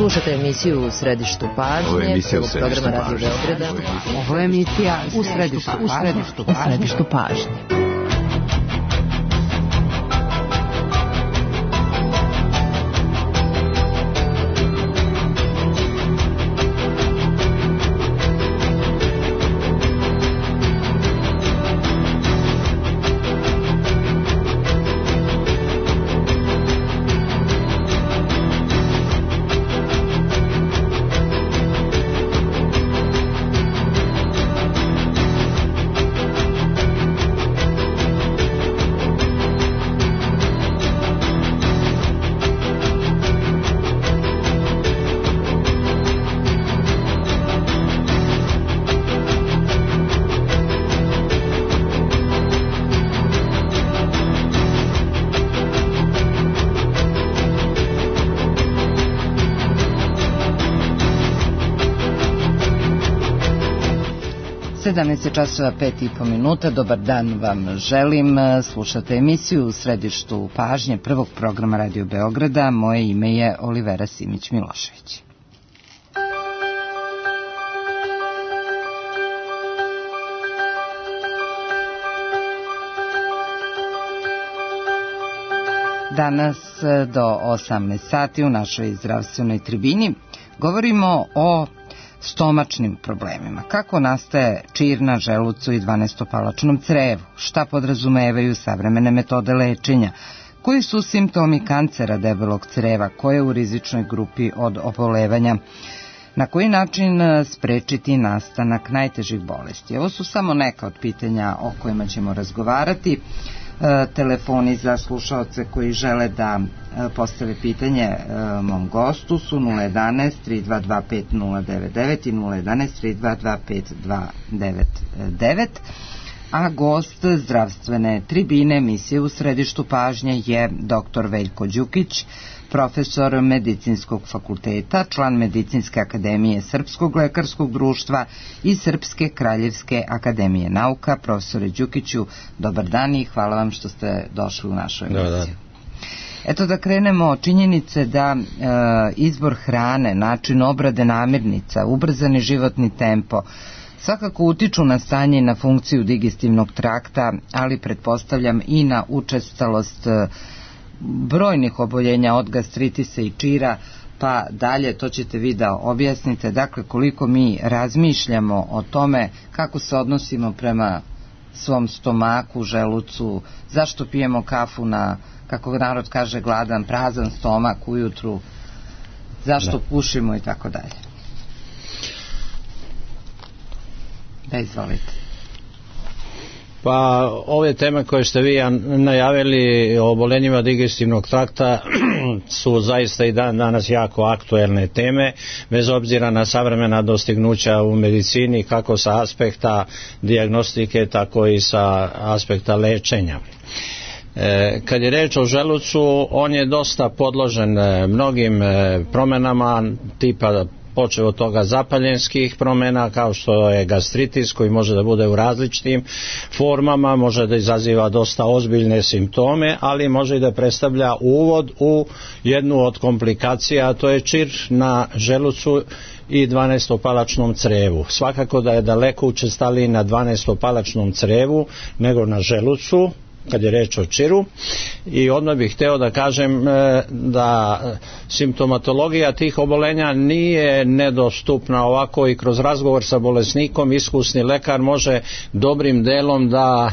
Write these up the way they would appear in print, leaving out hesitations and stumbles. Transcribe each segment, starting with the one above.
Slušate emisiju U središtu pažnje, programa Radio Beograda. Ovo je emisija U središtu pažnje. Časova 5:30. Dobar dan vam želim. Slušate emisiju U središtu pažnje prvog programa Radio Beograda. Moje ime je Olivera Simić-Milošević. Danas do 18 sati u našoj zdravstvenoj tribini govorimo o stomačnim problemima. Kako nastaje čir na želucu i dvanestopalačnom crevu? Šta podrazumevaju savremene metode lečenja? Koji su simptomi kancera debelog creva? Ko je u rizičnoj grupi od obolevanja? Na koji način sprečiti nastanak najtežih bolesti? Ovo su samo neka od pitanja o kojima ćemo razgovarati. Telefoni za slušaoce koji žele da postave pitanje mom gostu su 011-322-5099 i 011-322-5299, a gost zdravstvene tribine emisije U središtu pažnje je dr. Veljko Đukić, profesor Medicinskog fakulteta, član Medicinske akademije Srpskog lekarskog društva i Srpske kraljevske akademije nauka. Profesore Đukiću, dobar dan i hvala vam što ste došli u našu emisiju. Eto da krenemo od činjenice da izbor hrane, način obrade namirnica, ubrzani životni tempo svakako utiču na stanje i na funkciju digestivnog trakta, ali pretpostavljam i na učestalost brojnih oboljenja od gastritisa i čira, pa dalje to ćete vi da objasnite. Dakle, koliko mi razmišljamo o tome kako se odnosimo prema svom stomaku, želucu, zašto pijemo kafu na, kako narod kaže, gladan, prazan stomak ujutru, zašto pušimo i tako dalje. Da, izvolite. Pa ove teme koje ste vi najavili o oboljenjima digestivnog trakta su zaista i danas jako aktuelne teme, bez obzira na savremena dostignuća u medicini, kako sa aspekta dijagnostike, tako i sa aspekta lečenja. Kad je reč o želucu, on je dosta podložen mnogim promenama, tipa počeo od toga zapaljenskih promjena, kao što je gastritis, koji može da bude u različitim formama, može da izaziva dosta ozbiljne simptome, ali može i da predstavlja uvod u jednu od komplikacija, a to je čir na želucu i dvanestopalačnom crevu. Svakako da je daleko učestaliji na dvanestopalačnom crevu nego na želucu, kad je reč o čiru, i odmah bih hteo da kažem da simptomatologija tih obolenja nije nedostupna ovako, i kroz razgovor sa bolesnikom iskusni lekar može dobrim delom da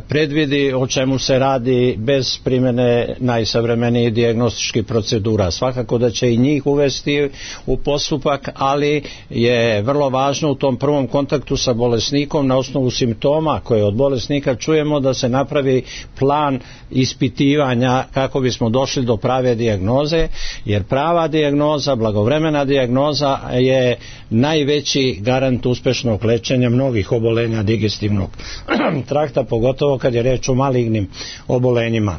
predvidi o čemu se radi bez primjene najsavremenijih dijagnostičkih procedura. Svakako da će i njih uvesti u postupak, ali je vrlo važno u tom prvom kontaktu sa bolesnikom na osnovu simptoma koje od bolesnika čujemo da se napravi plan ispitivanja kako bismo došli do prave dijagnoze, jer prava dijagnoza, blagovremena dijagnoza je najveći garant uspešnog lečenja mnogih obolenja digestivnog trakta, pogotovo kad je reč o malignim obolenjima.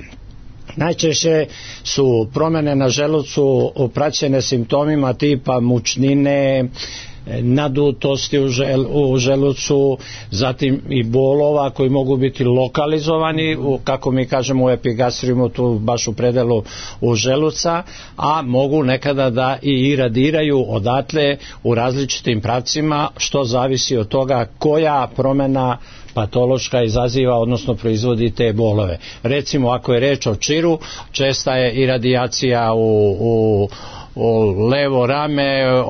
Najčešće su promjene na želucu praćene simptomima tipa mučnine, nadutosti u želucu, zatim i bolova koji mogu biti lokalizovani, kako mi kažemo u epigastriumu, tu baš u predelu u želuca, a mogu nekada da i iradiraju odatle u različitim pravcima, što zavisi od toga koja promjena patološka izaziva, odnosno proizvodi te bolove. Recimo, ako je reč o čiru, česta je iradijacija u levo rame,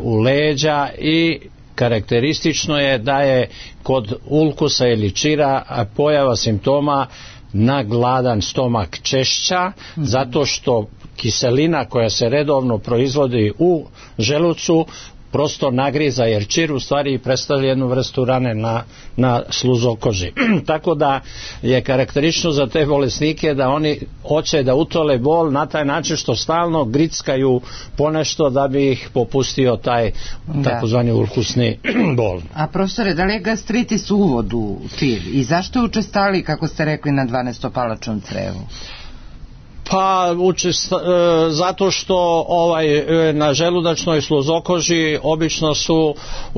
u leđa, i karakteristično je da je kod ulkusa ili čira pojava simptoma na gladan stomak češća, zato što kiselina koja se redovno proizvodi u želucu prosto nagriza, jer čir u stvari predstavlja jednu vrstu rane na sluzokoži. Tako da je karakteristično za te bolesnike da oni hoće da utole bol na taj način što stalno grickaju ponešto da bi ih popustio taj takozvani ulkusni bol. A profesore, da li je gastritis uvod u čir i zašto je učestali, kako ste rekli, na 12-palačnom crevu? Pa zato što na želudačnoj sluzokoži obično su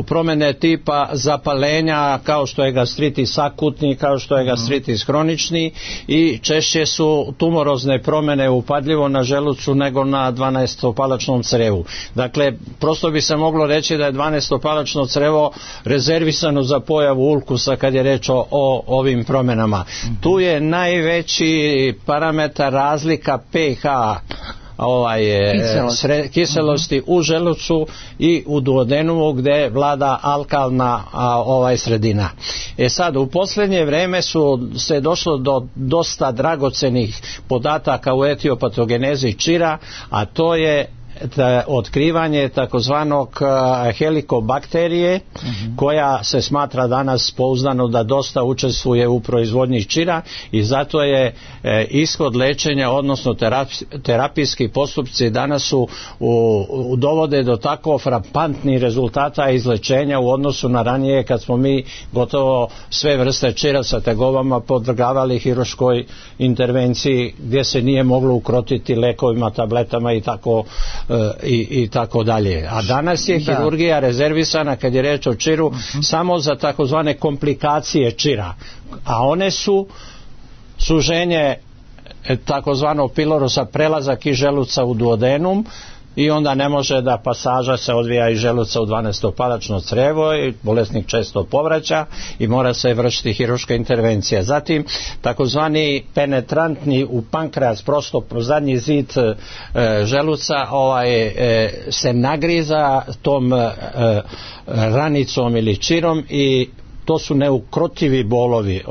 promjene tipa zapalenja, kao što je gastritis akutni, kao što je gastritis hronični, i češće su tumorozne promjene upadljivo na želucu nego na 12-palačnom crevu. Dakle, prosto bi se moglo reći da je 12-palačno crevo rezervisano za pojavu ulkusa kad je reč o ovim promjenama. Tu je najveći parametar razlika pH kiselosti u želucu i u duodenumu, gdje vlada alkalna sredina. Sad, u posljednje vrijeme se došlo do dosta dragocenih podataka u etiopatogenezi čira, a to je otkrivanje takozvanog helikobakterije, koja se smatra danas pouzdano da dosta učestvuje u proizvodnji čira, i zato je ishod lečenja, odnosno terapijski postupci danas dovode do tako frapantnih rezultata izlečenja u odnosu na ranije, kad smo mi gotovo sve vrste čira sa tegobama podvrgavali hirurškoj intervenciji, gdje se nije moglo ukrotiti lekovima, tabletama i tako dalje. A danas je hirurgija rezervisana, kad je reč o čiru, samo za takozvane komplikacije čira, a one su suženje takozvanog pilorosa, prelazak iz želuca u duodenum, i onda ne može da pasaža se odvija iz želuca u 12-palačno crevo i bolesnik često povraća i mora se vršiti hirurška intervencija. Zatim takozvani penetrantni u pankreas, prosto pro zadnji zid želuca se nagriza tom ranicom ili čirom, i to su neukrotivi bolovi,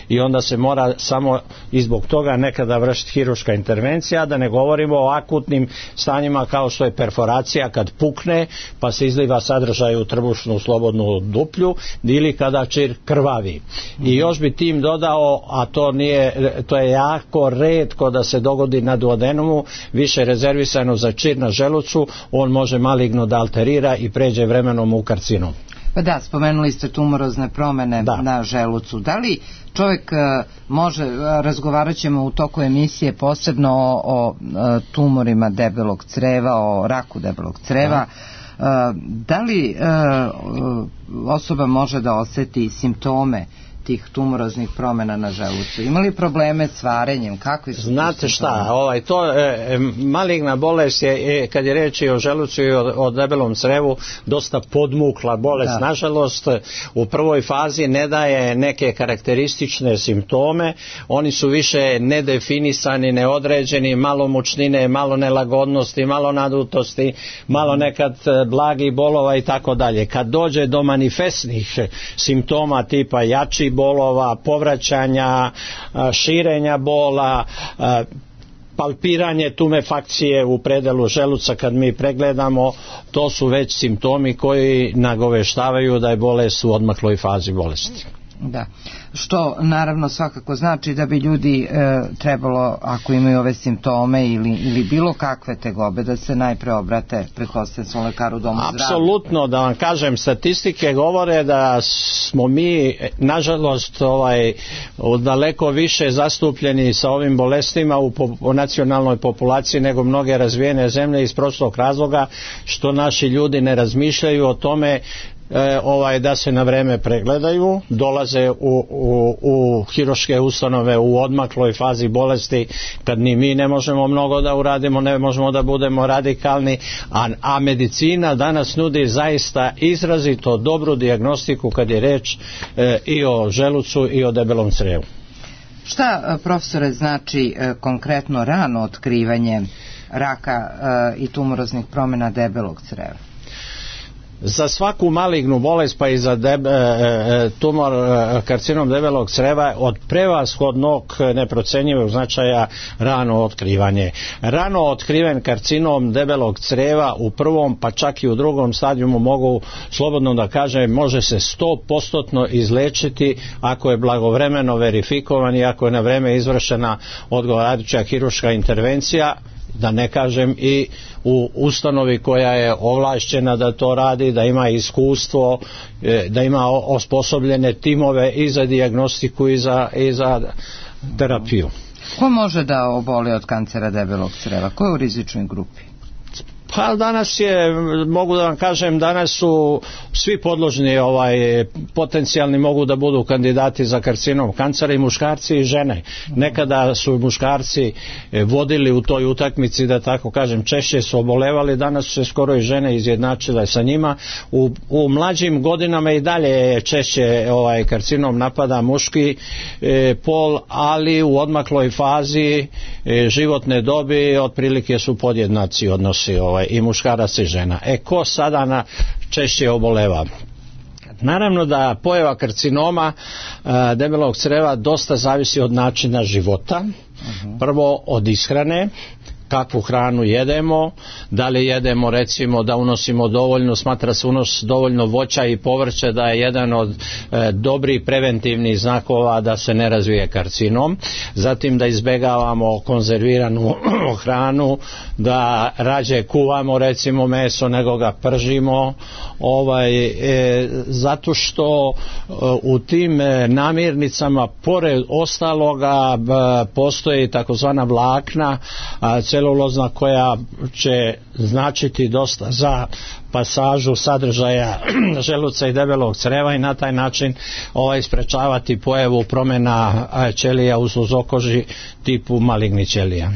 i onda se mora samo i zbog toga nekada vršiti hirurška intervencija, da ne govorimo o akutnim stanjima kao što je perforacija, kad pukne pa se izliva sadržaj u trbušnu slobodnu duplju, ili kada čir krvavi. I još bi tim dodao, a to je jako retko da se dogodi na duodenumu, više rezervisano za čir na želucu, on može maligno da alterira i pređe vremenom u karcinom. Pa da, spomenuli ste tumorozne promjene na želucu. Da li čovjek može, razgovarat ćemo u toku emisije posebno o tumorima debelog creva, o raku debelog creva, da li osoba može da osjeti simptome tih tumoroznih promjena na želucu? Ima li probleme s varenjem? Kakvi su? Znate šta, maligna bolest je, kad je reč o želucu i o debelom crevu, dosta podmukla bolest. Nažalost, u prvoj fazi ne daje neke karakteristične simptome, oni su više nedefinisani, neodređeni, malo mučnine, malo nelagodnosti, malo nadutosti, malo nekad blagih bolova i tako dalje. Kad dođe do manifestnih simptoma tipa jači bolova, povraćanja, širenja bola, palpiranje tumefakcije u predelu želuca kad mi pregledamo, to su već simptomi koji nagoveštavaju da je bolest u odmakloj fazi bolesti. Da, što naravno svakako znači da bi ljudi trebalo, ako imaju ove simptome ili bilo kakve tegobe, da se najpre obrate, pretpostavljam, svom lekaru u domu zdravlja. Apsolutno, da vam kažem, statistike govore da smo mi, nažalost, daleko više zastupljeni sa ovim bolestima u nacionalnoj populaciji nego mnoge razvijene zemlje iz prostog razloga što naši ljudi ne razmišljaju o tome da se na vreme pregledaju, dolaze u hirurške ustanove u odmakloj fazi bolesti kad ni mi ne možemo mnogo da uradimo, ne možemo da budemo radikalni, a medicina danas nudi zaista izrazito dobru dijagnostiku kad je reč i o želucu i o debelom crevu. Šta, profesore, znači konkretno rano otkrivanje raka i tumoroznih promjena debelog creva? Za svaku malignu bolest, pa i za tumor, karcinom debelog creva, od prevashodnog neprocenjivog značaja rano otkrivanje. Rano otkriven karcinom debelog creva u prvom pa čak i u drugom stadijumu, mogu slobodno da kažem, može se 100% izlečiti ako je blagovremeno verifikovan i ako je na vreme izvršena odgovarajuća hirurška intervencija, da ne kažem i u ustanovi koja je ovlašćena da to radi, da ima iskustvo, da ima osposobljene timove i za dijagnostiku i za terapiju. Ko može da oboli od kancera debelog creva? Ko je u rizičnoj grupi? Pa danas mogu da vam kažem, danas su svi podložni, potencijalni mogu da budu kandidati za karcinom kancera, i muškarci i žene. Nekada su muškarci vodili u toj utakmici, da tako kažem, češće su obolevali, danas su se skoro i žene izjednačile sa njima. U mlađim godinama i dalje češće karcinom napada muški pol, ali u odmakloj fazi životne dobi otprilike su podjednaci odnosi i muškarac i žena. Ko sada češće oboleva? Naravno da pojava karcinoma debelog creva dosta zavisi od načina života. Prvo od ishrane, kakvu hranu jedemo, da li jedemo, recimo, da unosimo dovoljno, smatra se unos dovoljno voća i povrća da je jedan od dobrih preventivnih znakova da se ne razvije karcinom. Zatim da izbegavamo konzerviranu hranu, da rađe kuvamo, recimo, meso nego ga pržimo, zato što u tim namirnicama pored ostaloga postoji takozvana vlakna celulozna koja će značiti dosta za pasažu sadržaja želuca i debelog creva i na taj način sprečavati pojavu promjena ćelija u suzokoži tipu malignih ćelija.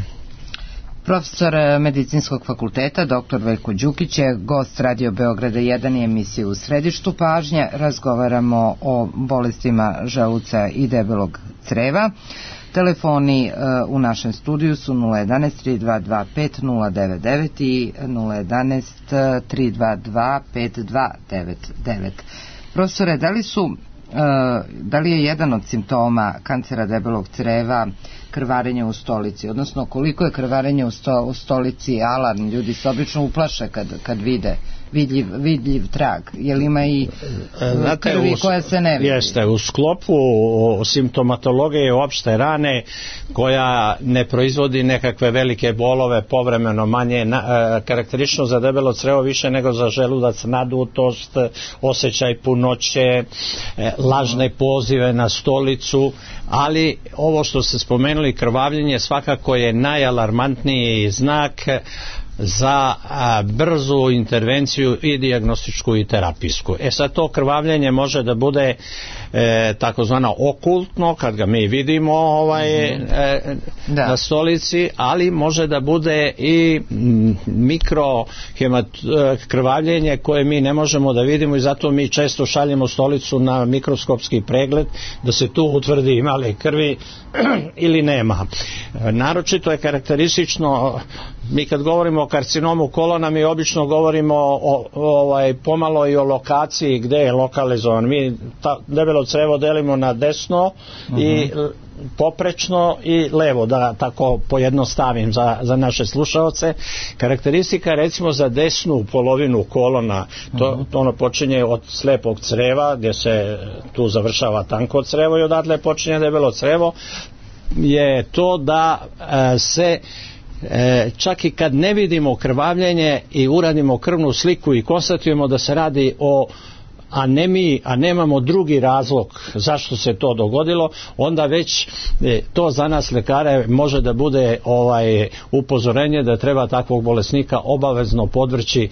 Profesor Medicinskog fakulteta dr. Veljko Đukić je gost Radio Beograda 1 i emisije U središtu pažnje. Razgovaramo o bolestima želuca i debelog creva. Telefoni u našem studiju su 011 322 5099 i 011 322 5299. Profesore, da li je jedan od simptoma kancera debelog creva krvarenje u stolici, odnosno koliko je krvarenje u stolici alarm? Ljudi se obično uplaše kad vide vidljiv trag, jer ima i krvi koja se ne vidi. Jeste, u sklopu simptomatologije opšte rane koja ne proizvodi nekakve velike bolove, povremeno manje, karakteristično za debelo crevo više nego za želudac, nadutost, osjećaj punoće, lažne pozive na stolicu, ali ovo što ste spomenuli, krvavljenje, svakako je najalarmantniji znak za brzu intervenciju i dijagnostičku i terapijsku. Sad to krvavljenje može da bude takozvano okultno kad ga mi vidimo na stolici, ali može da bude i krvavljenje koje mi ne možemo da vidimo i zato mi često šaljemo stolicu na mikroskopski pregled da se tu utvrdi ima li krvi ili nema. Naročito je karakteristično, mi kad govorimo o karcinomu kolona, mi obično govorimo pomalo i o lokaciji gde je lokalizovan. Mi debelo crevo delimo na desno i poprečno i levo, da tako pojednostavim za naše slušaoce. Karakteristika recimo za desnu polovinu kolona, to ono počinje od slepog creva gdje se tu završava tanko crevo i odatle počinje debelo crevo, je to da se čak i kad ne vidimo krvavljenje i uradimo krvnu sliku i konstatujemo da se radi o anemiji, a nemamo drugi razlog zašto se to dogodilo, onda već to za nas lekare može da bude upozorenje da treba takvog bolesnika obavezno podvrći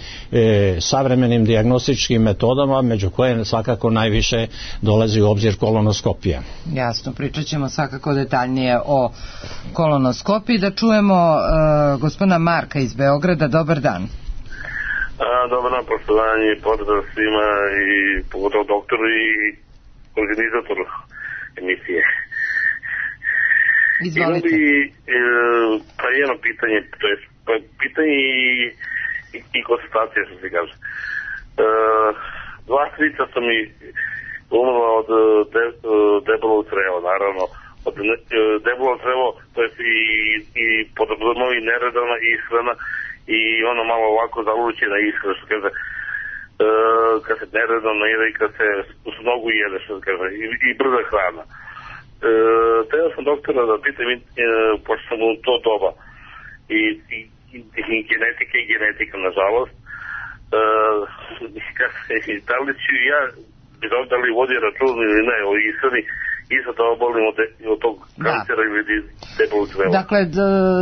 savremenim dijagnostičkim metodama, među koje svakako najviše dolazi u obzir kolonoskopija. Jasno, pričat ćemo svakako detaljnije o kolonoskopiji. Da čujemo gospodina Marka iz Beograda. Dobar dan. Dobar dan, poštovanje, pozdrav svima i pogotovo doktoru i organizatoru emisije. Izvolite. Pa jedno pitanje, to je pitanje i konstatacija, što se kaže. Dva strica su mi umrla od debelog creva, naravno. Od debelog crevo, to je i podobno i neredovna ishrana, i ono malo ovako zalučena ishrana, što kaže, kad se neredovno jede i kad se s mnogo jede, što kaže, i brza hrana. Teo sam doktora da pitam, pošto sam u to doba i genetika, nažalost, da li ću ja, da li vodi račun ili ne, o ishrani, isto to obolim od tog kancera ili debelog creva. Dakle,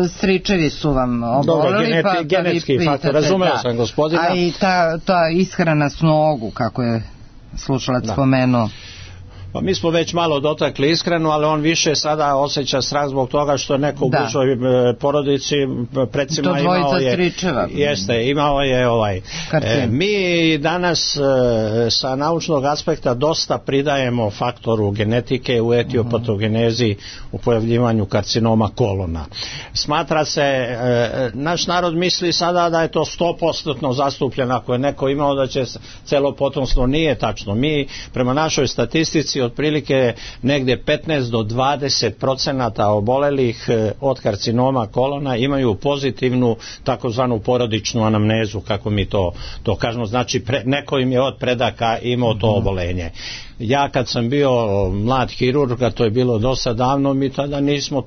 stričevi su vam oboleli, pa genetski faktor, razumeo sam gospodina. A i ta ishrana s nogu, kako je slušalac spomenuo. Pa mi smo već malo dotakli ishranu, ali on više sada osjeća strah zbog toga što neko u bližoj porodici recimo imao je mi danas sa naučnog aspekta dosta pridajemo faktoru genetike u etiopatogenezi u pojavljivanju karcinoma kolona. Smatra se, naš narod misli sada da je to 100% zastupljeno, ako je neko imao da će celo potomstvo, nije tačno. Mi prema našoj statistici otprilike negdje 15 do 20% obolelih od karcinoma kolona imaju pozitivnu takozvanu porodičnu anamnezu, kako mi to kažemo, znači neko im je od predaka imao to obolenje. Ja kad sam bio mlad hirurg, a to je bilo dosta davno, mi tada nismo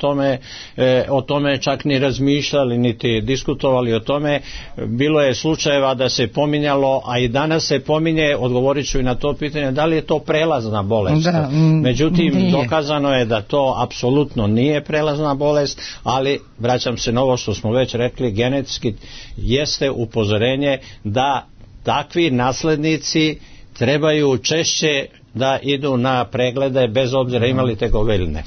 o tome čak ni razmišljali, niti diskutovali o tome. Bilo je slučajeva da se pominjalo, a i danas se pominje, odgovorit ću i na to pitanje, da li je to prelazna bolest. Međutim, dokazano je da to apsolutno nije prelazna bolest, ali vraćam se na ovo što smo već rekli, genetski jeste upozorenje da takvi naslednici trebaju češće da idu na preglede bez obzira imali tegobe ili ne.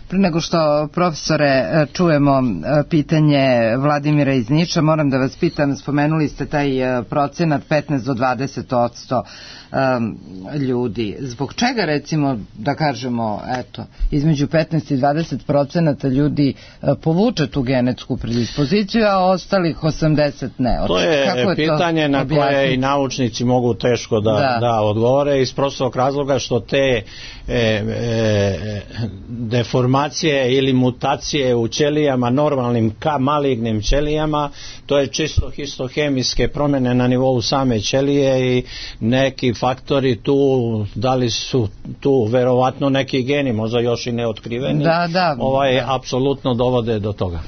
Pre nego što, profesore, čujemo pitanje Vladimira iz Niša, moram da vas pitam, spomenuli ste taj procenat 15 do 20% ljudi. Zbog čega, recimo, da kažemo, eto, između 15 i 20% ljudi povuče tu genetsku predispoziciju, a ostalih 80 ne? To je pitanje na koje i naučnici mogu teško da odgovore, iz prostog razloga što te deformacije ili mutacije u ćelijama, normalnim malignim ćelijama, to je čisto histohemijske promjene na nivou same ćelije i neki faktori tu, da li su tu verovatno neki geni, možda još i neotkriveni, apsolutno dovode do toga.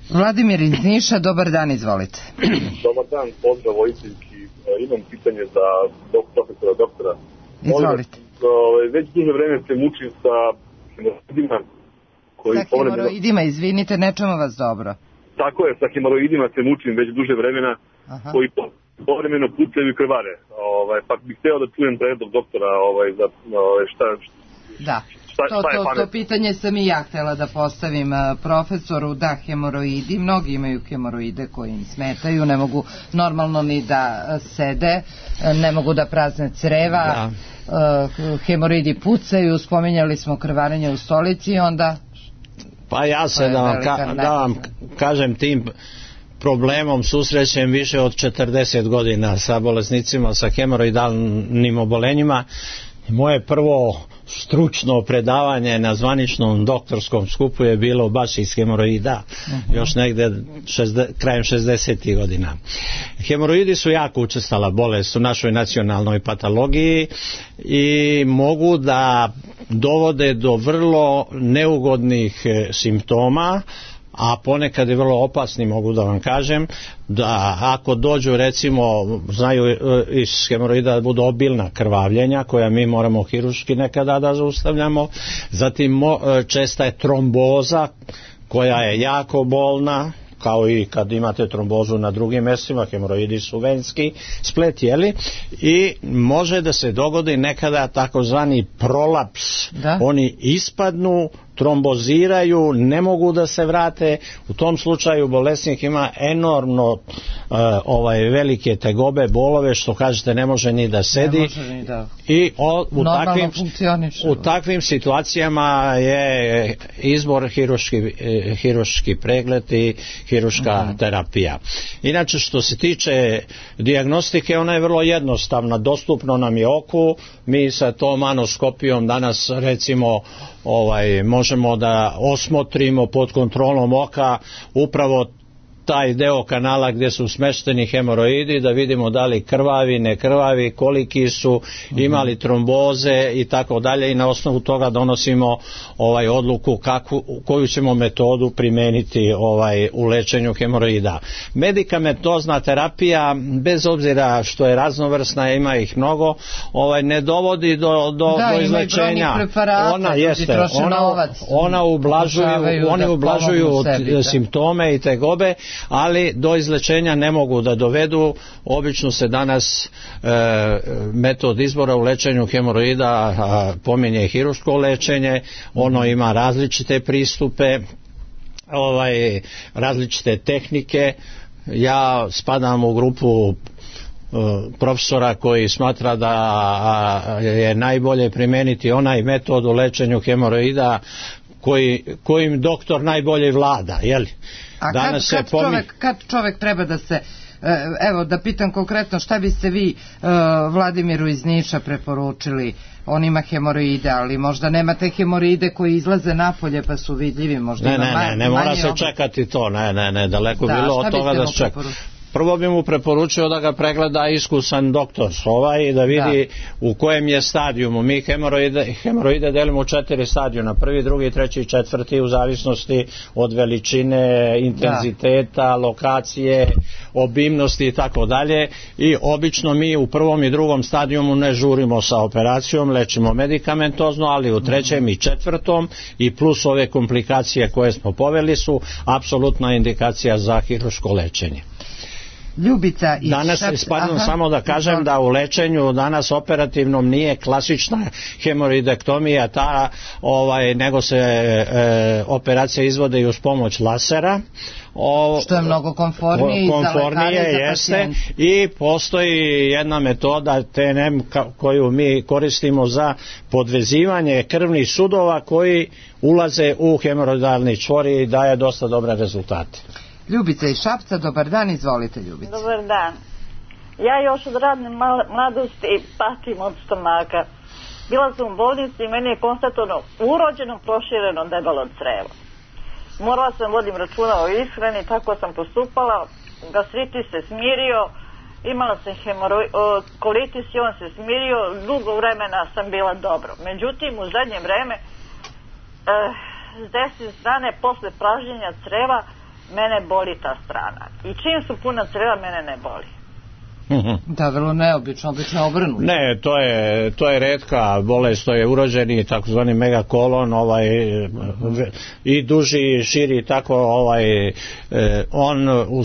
Vladimir iz Niša, dobar dan, izvolite. Dobar dan, pozdrav Vojtinski, imam pitanje za doktora. Izvolite. Već duže vreme se mučim sa hemoroidima. Sa hemoroidima, izvinite, ne čujemo vas dobro. Tako je, sa hemoroidima se mučim već duže vremena, koji povremeno pucaju i krvare. Pa bih hteo da čujem predlog doktora za šta je to pitanje sam i ja htjela da postavim profesoru. Da, hemoroidi, mnogi imaju hemoroide koji im smetaju, ne mogu normalno ni da sede, ne mogu da prazne creva, hemoroidi pucaju, spominjali smo krvarenje u stolici i onda... Pa ja se da vam kažem, tim problemom susrećem više od 40 godina sa bolesnicima sa hemoroidalnim obolenjima. Moje prvo stručno predavanje na zvaničnom doktorskom skupu je bilo baš iz hemoroida, još negde krajem 60. godina. Hemoroidi su jako učestala bolest u našoj nacionalnoj patologiji i mogu da dovode do vrlo neugodnih simptoma, a ponekad je vrlo opasni, mogu da vam kažem, da ako dođu, recimo, znaju iz hemoroida da budu obilna krvavljenja koja mi moramo hirurški nekada da zaustavljamo, zatim česta je tromboza koja je jako bolna, kao i kad imate trombozu na drugim mjestima, hemoroidi su venski splet, jeli, i može da se dogodi nekada takozvani prolaps, oni ispadnu, tromboziraju, ne mogu da se vrate. U tom slučaju bolesnik ima enormno velike tegobe, bolove, što kažete ne može ni da sedi, i u takvim situacijama je izbor hirurški pregled i hirurška terapija. Inače, što se tiče dijagnostike, ona je vrlo jednostavna, dostupno nam je oku. Mi sa tom anoskopijom danas, recimo, možemo da osmotrimo pod kontrolom oka upravo taj deo kanala gdje su smešteni hemoroidi, da vidimo da li krvavi, ne krvavi, koliki su, imali tromboze i tako dalje, i na osnovu toga donosimo odluku koju ćemo metodu primeniti u lečenju hemoroida. Medikamentozna terapija, bez obzira što je raznovrsna, ima ih mnogo, ne dovodi do izlečenja. Ona ublažuju simptome i tegobe, ali do izlečenja ne mogu da dovedu. Obično se danas metod izbora u lečenju hemoroida pominje hirurško lečenje. Ono ima različite pristupe, različite tehnike. Ja spadam u grupu profesora koji smatra da je najbolje primeniti onaj metod u lečenju hemoroida kojim doktor najbolje vlada, jeli? A kad čovjek treba da se, evo da pitam konkretno, šta biste vi Vladimiru iz Niša preporučili? On ima hemoroide, ali možda nemate hemoroide koji izlaze napolje pa su vidljivi, možda ne mora se čekati to, daleko bilo od toga da se čeka. Prvo bi mu preporučio da ga pregleda iskusan doktor i da vidi u kojem je stadijumu. Mi hemoroide delimo u 4 stadijuma, prvi, drugi, treći i četvrti, u zavisnosti od veličine, intenziteta, lokacije, obimnosti i tako dalje, i obično mi u prvom i drugom stadijumu ne žurimo sa operacijom, lečimo medikamentozno, ali u trećem i četvrtom i plus ove komplikacije koje smo poveli su apsolutna indikacija za hirurško lečenje. Ljubica i danas, samo da kažem da u lečenju danas operativnom nije klasična hemoroidektomija nego se operacije izvode i uz pomoć lasera, što je mnogo konfornije jeste, i postoji jedna metoda TNM koju mi koristimo za podvezivanje krvnih sudova koji ulaze u hemoroidalni čvor i daje dosta dobre rezultate. Ljubica iz Šapca, dobar dan, izvolite Ljubica. Dobar dan. Ja još od radne mladosti patim od stomaka. Bila sam u bolnici i meni je konstatovano urođeno prošireno debelo crevo. Morala sam vodim računa o ishrani, tako sam postupala, gastritis se smirio, imala sam kolitis i on se smirio, dugo vremena sam bila dobro. Međutim, u zadnje vreme s desne strane posle pražnjenja creva mene boli ta strana. I čim su puna creva, mene ne boli. Da, vrlo neobično, obično obrnuto. Ne, to je retka bolest, to je urođeni takozvani megakolon, i duži i širi, tako on u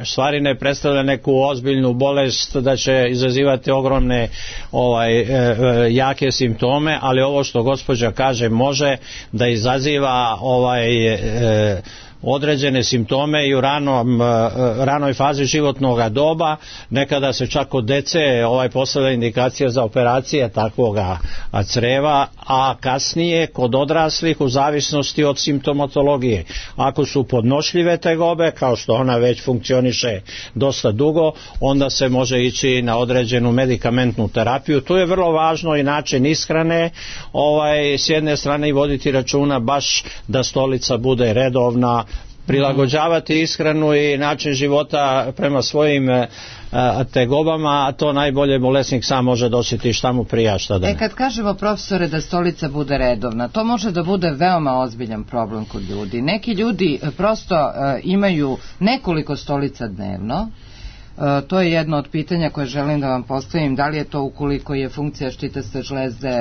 stvari ne predstavlja neku ozbiljnu bolest da će izazivati ogromne jake simptome, ali ovo što gospođa kaže može da izaziva određene simptome i u ranoj fazi životnog doba. Nekada se čak od dece postavlja indikacija za operacije takvoga creva, a kasnije kod odraslih u zavisnosti od simptomatologije. Ako su podnošljive tegobe, kao što ona već funkcioniše dosta dugo, onda se može ići na određenu medikamentnu terapiju. Tu je vrlo važno i način ishrane, s jedne strane i voditi računa baš da stolica bude redovna, prilagođavati ishranu i način života prema svojim tegobama, a to najbolje bolesnik sam može dosjetiti šta mu prija, šta da ne. Kad kažemo, profesore, da stolica bude redovna, to može da bude veoma ozbiljan problem kod ljudi. Neki ljudi prosto imaju nekoliko stolica dnevno. To je jedno od pitanja koje želim da vam postavim. Da li je to, ukoliko je funkcija štitaste žlezde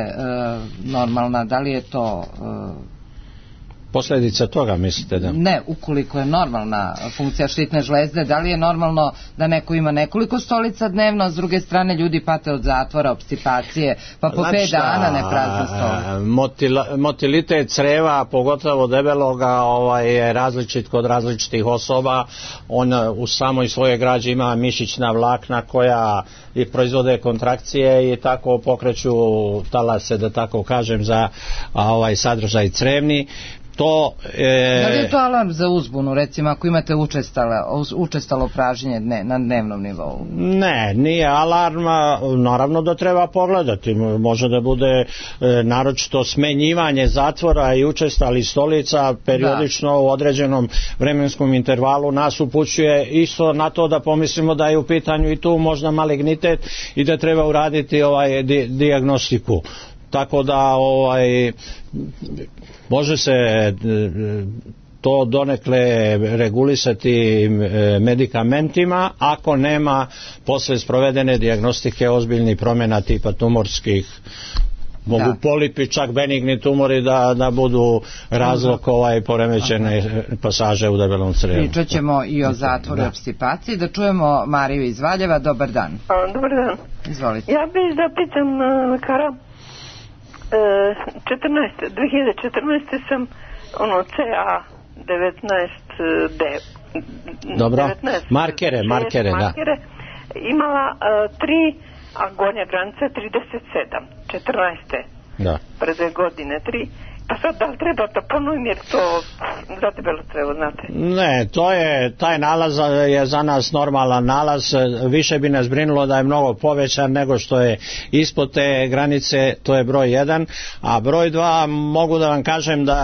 normalna, da li je to posljedica toga, mislite da? Ne, ukoliko je normalna funkcija štitne žlezde, da li je normalno da neko ima nekoliko stolica dnevno, a s druge strane ljudi pate od zatvora, obstipacije, pa po 5 dana ne prazne stolice. Motilitet creva, pogotovo debeloga, je različit kod različitih osoba. On u samoj svojoj građi ima mišićna vlakna koja i proizvode kontrakcije i tako pokreću talase, da tako kažem, za sadržaj crevni. Da li je to alarm za uzbunu, recimo ako imate učestalo pražnjenje na dnevnom nivou? Ne, nije alarm, naravno da treba pogledati, može da bude naročito smenjivanje zatvora i učestalih stolica periodično u određenom vremenskom intervalu nas upućuje isto na to da pomislimo da je u pitanju i tu možda malignitet i da treba uraditi dijagnostiku. Tako da može se to donekle regulisati medikamentima ako nema posle sprovedene dijagnostike ozbiljnih promjena tipa tumorskih. Mogu polipi, čak benigni tumori da budu razlog poremećene pasaže u debelom crevu. Pričat ćemo i o zatvoru i obstipaciji. Da čujemo Mariju iz Valjeva. Dobar dan. Dobar dan. Izvolite. Ja bih da pitam lekara. 2014. sam CA 19D. Dobro, markere, da. Imala 3, a gornja granica 37. 14. Da. Pre 2 godine 3. Pa sad da li treba da ponovim jer to za debelo crevo, znate? Ne, taj nalaz je za nas normalan nalaz, više bi nas brinulo da je mnogo povećan nego što je ispod te granice, to je broj 1, a broj 2 mogu da vam kažem da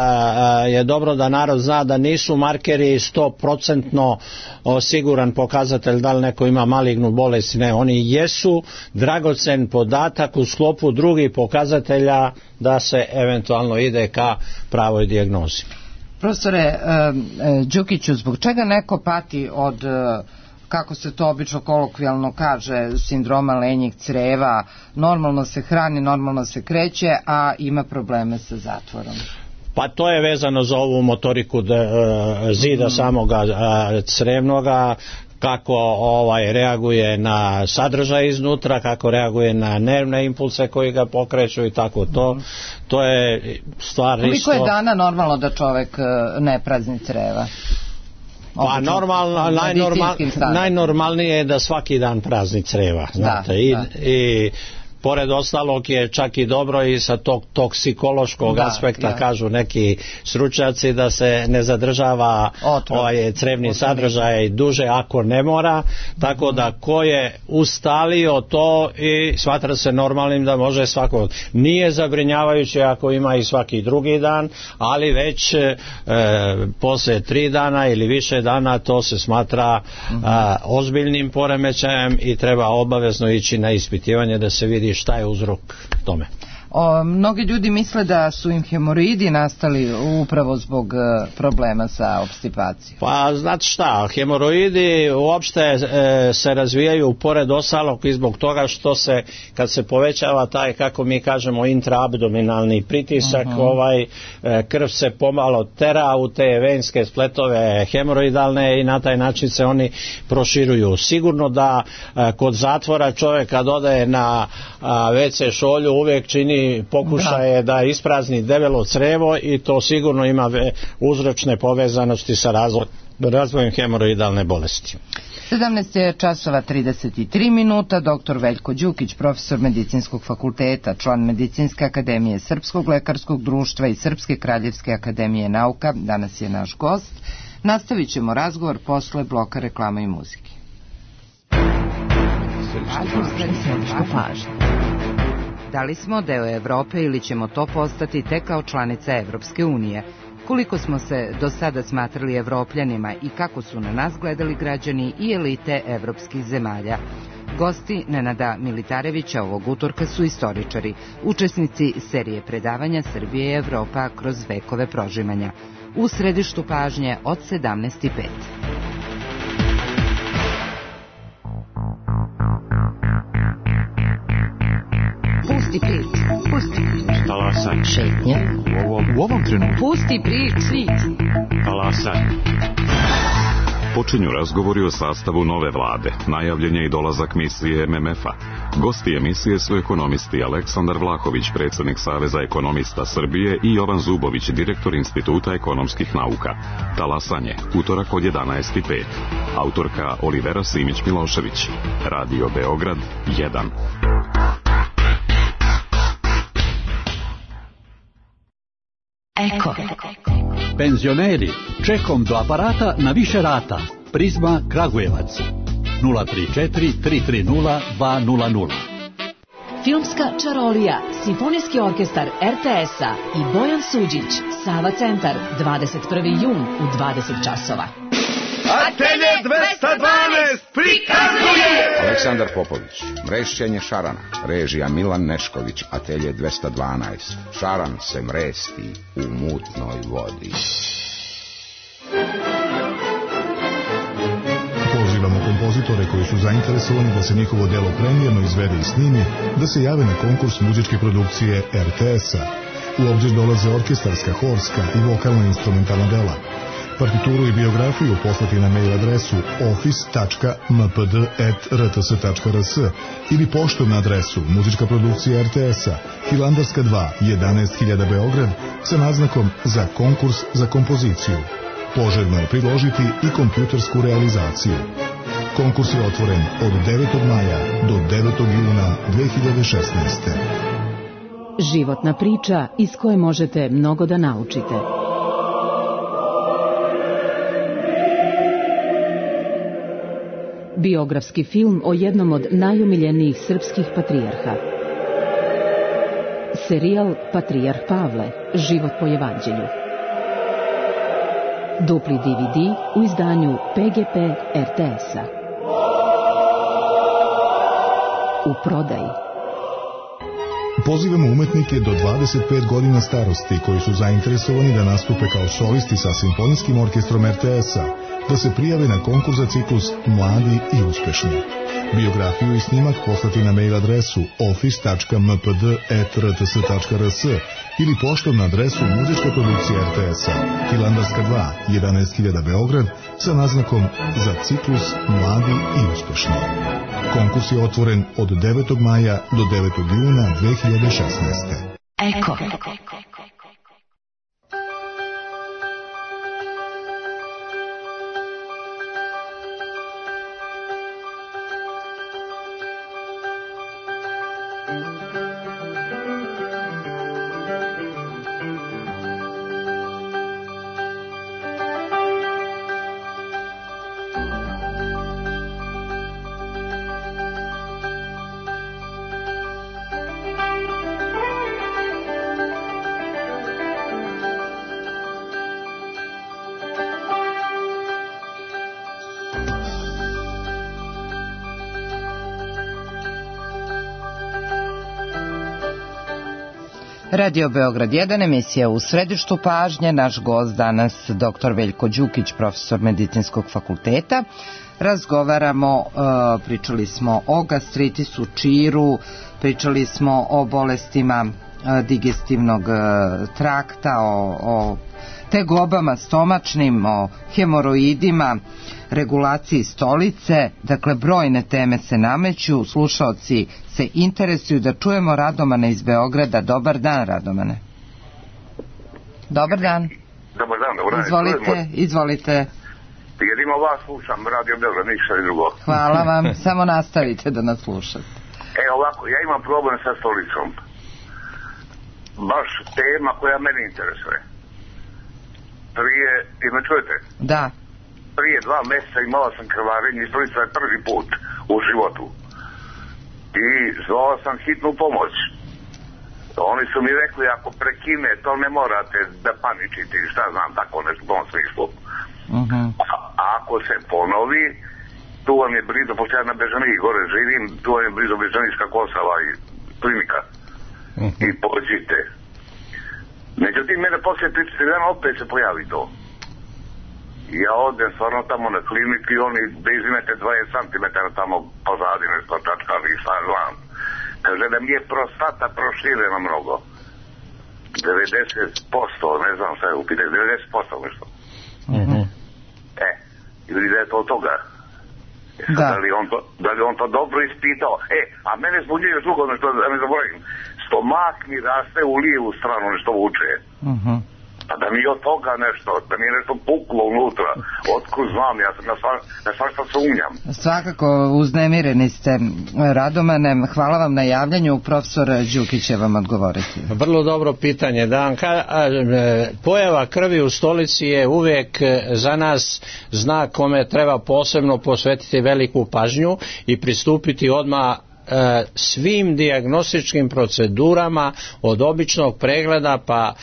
je dobro da narod zna da nisu markeri 100% siguran pokazatelj da li neko ima malignu bolest, ne, oni jesu dragocen podatak u sklopu drugih pokazatelja da se eventualno ide ka pravoj dijagnozi. Profesore Đukiću, zbog čega neko pati od, kako se to obično kolokvijalno kaže, sindroma lenjeg creva, normalno se hrani, normalno se kreće, a ima probleme sa zatvorom? Pa to je vezano za ovu motoriku zida samoga crevnoga, kako reaguje na sadržaj iznutra, kako reaguje na nervne impulse koji ga pokreću i tako to je stvar isto. Koliko je dana normalno da čovjek ne prazni creva? Pa najnormalnije je da svaki dan prazni creva, znate, i pored ostalog je čak i dobro i sa tog toksikološkog aspekta, kažu neki stručnjaci, da se ne zadržava crevni sadržaj duže ako ne mora, tako da ko je ustalio to i smatra se normalnim da može svako. Nije zabrinjavajuće ako ima i svaki drugi dan, ali već posle 3 dana ili više dana to se smatra ozbiljnim poremećajem i treba obavezno ići na ispitivanje da se vidi šta je uzrok tome. Mnogi ljudi misle da su im hemoroidi nastali upravo zbog problema sa obstipacijom. Pa znate šta, hemoroidi uopšte se razvijaju pored ostalog i zbog toga što se, kad se povećava taj, kako mi kažemo, intraabdominalni pritisak, krv se pomalo tera u te venske spletove hemoroidalne i na taj način se oni proširuju. Sigurno da kod zatvora čovjek kad ode na WC šolju uvijek čini pokušaje da isprazni debelo crevo i to sigurno ima uzročne povezanosti sa razvojem hemoroidalne bolesti. 17 je časova 33 minuta. Dr. Veljko Đukić, profesor Medicinskog fakulteta, član Medicinske akademije, Srpskog lekarskog društva i Srpske kraljevske akademije nauka, danas je naš gost. Nastavit ćemo razgovor posle bloka reklama i muzike. Da li smo deo Evrope ili ćemo to postati tek kao članica Evropske unije? Koliko smo se do sada smatrali Evropljanima i kako su na nas gledali građani i elite evropskih zemalja? Gosti Nenada Militarevića ovog utorka su istoričari, učesnici serije predavanja Srbije i Evropa kroz vekove prožimanja. U središtu pažnje od 17:05. Pusti prič. Talasaj. Šetnja. U ovom trenutku. Pusti prič. Talasaj. Počinju razgovori o sastavu nove vlade. Najavljen je i dolazak misije MMF-a. Gosti emisije su ekonomisti Aleksandar Vlahović, predsjednik Saveza ekonomista Srbije, i Jovan Zubović, direktor Instituta ekonomskih nauka. Talasanje, utorak od 11:05. Autorka Olivera Simić-Milošević. Radio Beograd 1. Eko. Penzioneri, čekom do aparata na više rata. Prizma Kragujevac 034 330 200. Filmska čarolija, Simfonijski orkestar RTS-a i Bojan Suđić, Sava centar, 21. jun u 20 časova. Atelje 212 prikazuje Aleksandar Popović, Mrešćenje šarana, režija Milan Nešković. Atelje 212, šaran se mresti u mutnoj vodi. Pozivamo kompozitore koji su zainteresovani da se njihovo delo premijerno izvede i snimi, da se jave na konkurs muzičke produkcije RTS-a. U obzir dolaze orkestarska, horska i vokalno-instrumentalna dela. Partituru i biografiju poslati na mail adresu office.mpd@rts.rs ili poštom na adresu Muzička produkcija RTS-a, Hilandarska 2, 11.000 Beograd, sa naznakom za konkurs za kompoziciju. Poželjno je priložiti i kompjutersku realizaciju. Konkurs je otvoren od 9. maja do 9. juna 2016. Životna priča iz koje možete mnogo da naučite. Biografski film o jednom od najomiljenijih srpskih patrijarha. Serijal Patrijarh Pavle, život po evanđelju. Dupli DVD u izdanju PGP RTS-a. U prodaji. Pozivamo umetnike do 25 godina starosti koji su zainteresovani da nastupe kao solisti sa Simfonijskim orkestrom RTS-a, da se prijave na konkurs za ciklus Mladi i uspešni. Biografiju i snimak poslati na mail adresu office.mpd@rts.rs ili poštom na adresu Muzička produkcija RTS-a, Hilandarska 2, 11.000 Beograd, sa naznakom za ciklus Mladi i uspešni. Konkurs je otvoren od 9. maja do 9. juna 2016. Eko. Radio Beograd 1, emisija u središtu pažnje. Naš gost danas dr. Veljko Đukić, profesor Medicinskog fakulteta. Razgovaramo, pričali smo o gastritisu, čiru, pričali smo o bolestima digestivnog trakta, o tegobama stomačnim, o hemoroidima, regulaciji stolice. Dakle, brojne teme se nameću, slušaoci se interesuju. Da čujemo Radomana iz Beograda. Dobar dan, Radomane. Dobar dan. Dobar dan. Izvolite. Jedino vas slušam, Radio Beograd, ništa i drugo. Hvala vam, samo nastavite da nas slušate. Ovako, ja imam problem sa stolicom. Baš tema koja mene interesuje. Me čujete? Da. Prije 2 mjeseca imala sam krvarenje i stolica je prvi put u životu. I zvao sam hitnu pomoć. Oni su mi rekli, ako prekine, to ne morate da paničite, šta znam, tako nešto u tom smislu. A ako se ponovi, tu vam je blizu, pošto ja na Bežaniji gore živim, tu vam je blizu Bežanijska Kosava i klinika. I pođite. Međutim, mene poslije 30 dana opet se pojavi to. Ja odem stvarno tamo na kliniku i oni da izimete 20 cm tamo pozadi nešto čačkali i šta znam. Kaže da mi je prostata proširena mnogo. 90%, ne znam šta je upitanje, 90% nešto. Ili da je to od toga. Da li on to dobro ispitao. A mene zbunjuje još drugo nešto, da ne zaboravim. Stomak mi raste u lijevu stranu, nešto vuče. A da mi od toga nešto, da mi je nešto puklo unutra, otkud znam, ja na svašta sumnjam. Svakako, uznemireni ste, Radomane, hvala vam na javljanju, profesor Đukić će vam odgovoriti. Vrlo dobro pitanje, pojava krvi u stolici je uvijek za nas znak kome treba posebno posvetiti veliku pažnju i pristupiti odmah svim dijagnostičkim procedurama od običnog pregleda pa